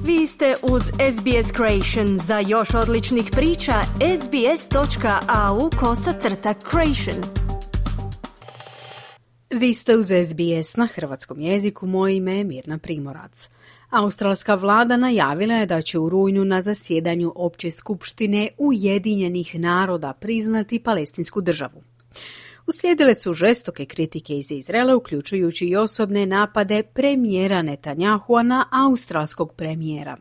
Vi ste uz SBS Creation. Za još odličnih priča, sbs.au/creation. Vi ste uz SBS na hrvatskom jeziku, moje ime je Mirna Primorac. Australska vlada najavila je da će u rujnu na zasjedanju Opće skupštine Ujedinjenih naroda priznati palestinsku državu. Uslijedile su žestoke kritike iz Izraela, uključujući i osobne napade premijera Netanyahua na australskog premijera.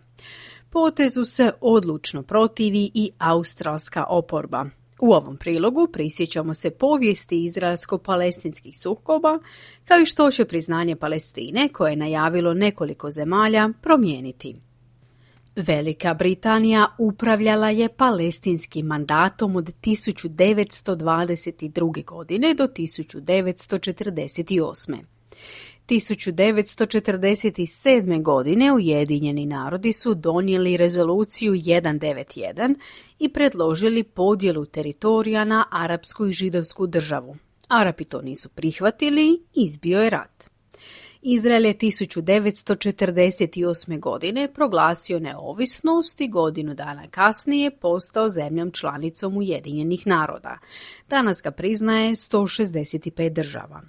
Potezu se odlučno protivi i australska oporba. U ovom prilogu prisjećamo se povijesti izraelsko-palestinskih sukoba, kao i što će priznanje Palestine, koje je najavilo nekoliko zemalja, promijeniti. Velika Britanija upravljala je palestinskim mandatom od 1922. godine do 1948. 1947. godine Ujedinjeni narodi su donijeli rezoluciju 191 i predložili podjelu teritorija na arapsku i židovsku državu. Arapi to nisu prihvatili i izbio je rat. Izrael je 1948. godine proglasio neovisnost i godinu dana kasnije postao zemljom članicom Ujedinjenih naroda. Danas ga priznaje 165 država.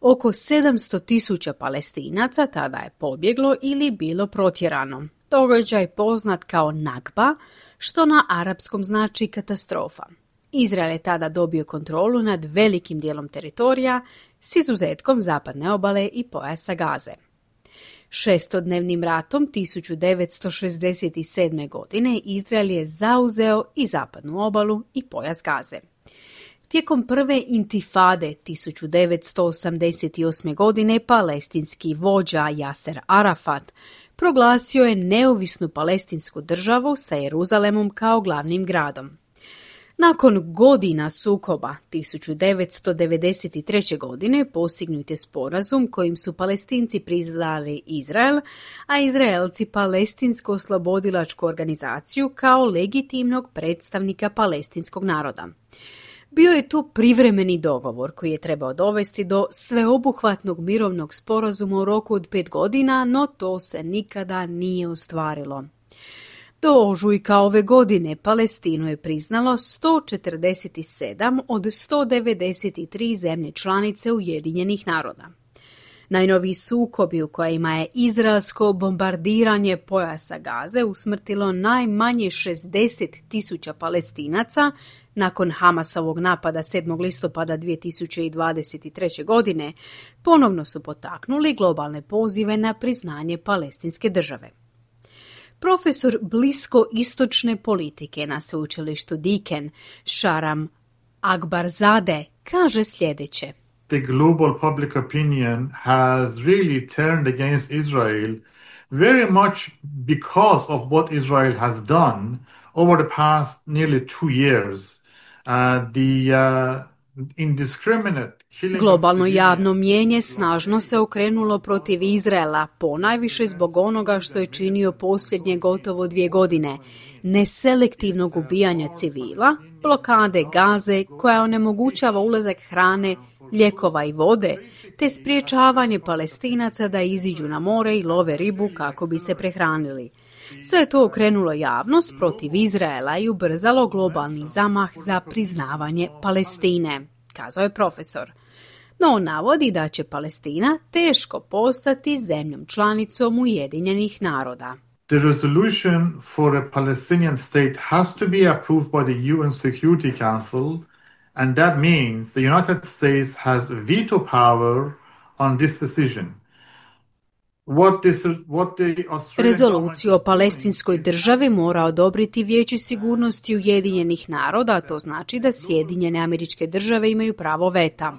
Oko 700.000 Palestinaca tada je pobjeglo ili bilo protjerano. Događaj poznat kao Nakba, što na arapskom znači katastrofa. Izrael je tada dobio kontrolu nad velikim dijelom teritorija s izuzetkom zapadne obale i pojasa Gaze. Šestodnevnim ratom 1967. godine Izrael je zauzeo i zapadnu obalu i pojas Gaze. Tijekom prve intifade 1988. godine palestinski vođa Yasser Arafat proglasio je neovisnu palestinsku državu sa Jeruzalemom kao glavnim gradom. Nakon godina sukoba 1993. godine postignut je sporazum kojim su Palestinci priznali Izrael, a Izraelci Palestinsku oslobodilačku organizaciju kao legitimnog predstavnika palestinskog naroda. Bio je to privremeni dogovor koji je trebao dovesti do sveobuhvatnog mirovnog sporazuma u roku od 5 godina, no to se nikada nije ostvarilo. Do ožujka ove godine Palestinu je priznalo 147 od 193 zemlje članice Ujedinjenih naroda. Najnoviji sukobi u kojima je izraelsko bombardiranje pojasa Gaze usmrtilo najmanje 60.000 Palestinaca nakon Hamasovog napada 7. listopada 2023. godine, ponovno su potaknuli globalne pozive na priznanje palestinske države. Profesor bliskoistočne politike na sveučilištu Deakin, Sharam Akbarzadeh, kaže sljedeće. The global public opinion has really turned against Israel very much because of what Israel has done over the past nearly 2 years. Globalno javno mnijenje snažno se okrenulo protiv Izraela, ponajviše zbog onoga što je činio posljednje gotovo 2 godine, neselektivnog ubijanja civila, blokade Gaze koja onemogućava ulazak hrane, lijekova i vode, te spriječavanje Palestinaca da iziđu na more i love ribu kako bi se prehranili. Sve je to okrenulo javnost protiv Izraela i ubrzalo globalni zamah za priznavanje Palestine, kazao je profesor. No on navodi da će Palestina teško postati zemljom članicom Ujedinjenih naroda. The resolution for a Palestinian state has to be approved by the UN Security Council, and that means the United States has veto power on this decision. Rezoluciju o palestinskoj državi mora odobriti Vijeće sigurnosti Ujedinjenih naroda, a to znači da Sjedinjene Američke Države imaju pravo veta.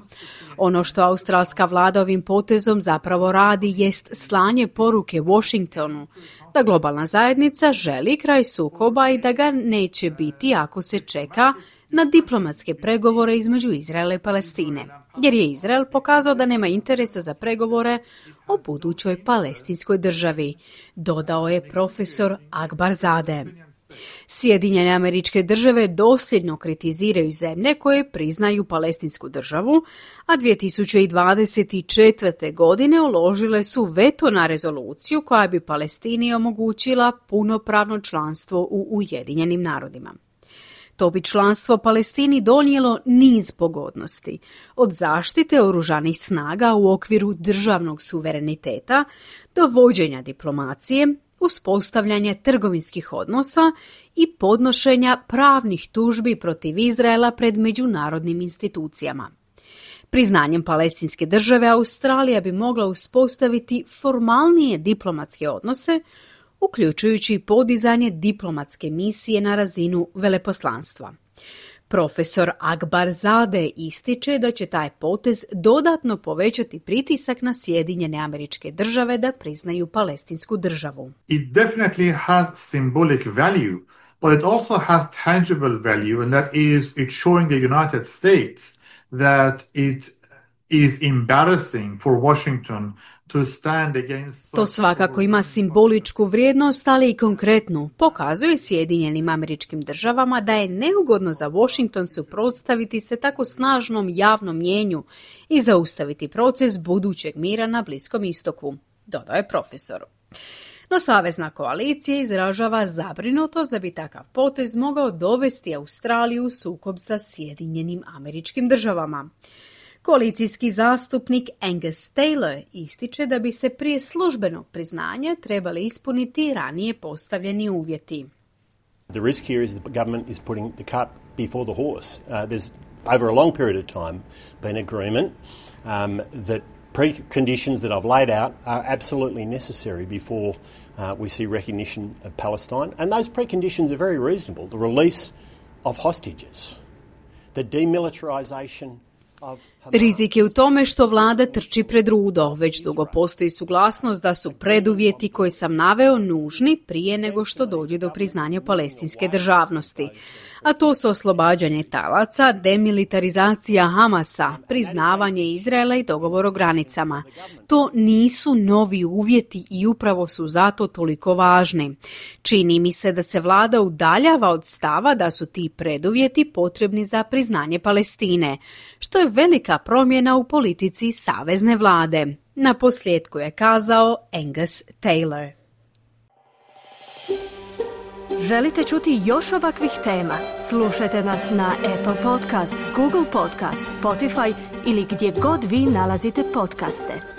Ono što australska vlada ovim potezom zapravo radi jest slanje poruke Washingtonu da globalna zajednica želi kraj sukoba i da ga neće biti ako se čeka na diplomatske pregovore između Izraela i Palestine, jer je Izrael pokazao da nema interesa za pregovore o budućoj palestinskoj državi, dodao je profesor Akbarzadeh. Sjedinjene Američke Države dosljedno kritiziraju zemlje koje priznaju palestinsku državu, a 2024. godine uložile su veto na rezoluciju koja bi Palestini omogućila punopravno članstvo u Ujedinjenim narodima. To bi članstvo Palestini donijelo niz pogodnosti, od zaštite oružanih snaga u okviru državnog suvereniteta do vođenja diplomacije, uspostavljanja trgovinskih odnosa i podnošenja pravnih tužbi protiv Izraela pred međunarodnim institucijama. Priznanjem palestinske države Australija bi mogla uspostaviti formalnije diplomatske odnose, uključujući podizanje diplomatske misije na razinu veleposlanstva. Profesor Akbar Zadeh ističe da će taj potez dodatno povećati pritisak na Sjedinjene Američke Države da priznaju palestinsku državu. It definitely has symbolic value, but it also has tangible value, and that is it's showing the United States that it is embarrassing for Washington to stand against... To svakako ima simboličku vrijednost, ali i konkretnu. Pokazuje Sjedinjenim Američkim Državama da je neugodno za Washington suprotstaviti se tako snažnom javnom mnijenju i zaustaviti proces budućeg mira na Bliskom istoku, dodao je profesor. No savezna koalicija izražava zabrinutost da bi takav potez mogao dovesti Australiju u sukob sa Sjedinjenim Američkim Državama. Koalicijski zastupnik Angus Taylor ističe da bi se prije službenog priznanja trebali ispuniti ranije postavljeni uvjeti. The risk here is the government is putting the cart before the horse. There's over a long period of time been agreement that preconditions that I've laid out are absolutely necessary before we see recognition of Palestine, and those preconditions are very reasonable. The release of hostages, the demilitarization. Rizik je u tome što vlada trči pred rudo. Već dugo postoji suglasnost da su preduvjeti koji sam naveo nužni prije nego što dođe do priznanja palestinske državnosti. A to su oslobađanje talaca, demilitarizacija Hamasa, priznavanje Izraela i dogovor o granicama. To nisu novi uvjeti i upravo su zato toliko važni. Čini mi se da se vlada udaljava od stava da su ti preduvjeti potrebni za priznanje Palestine, što je velika promjena u politici savezne vlade. Na posljedku je kazao Angus Taylor. Želite čuti još ovakvih tema? Slušajte nas na Apple Podcast, Google Podcast, Spotify ili gdje god vi nalazite podcaste.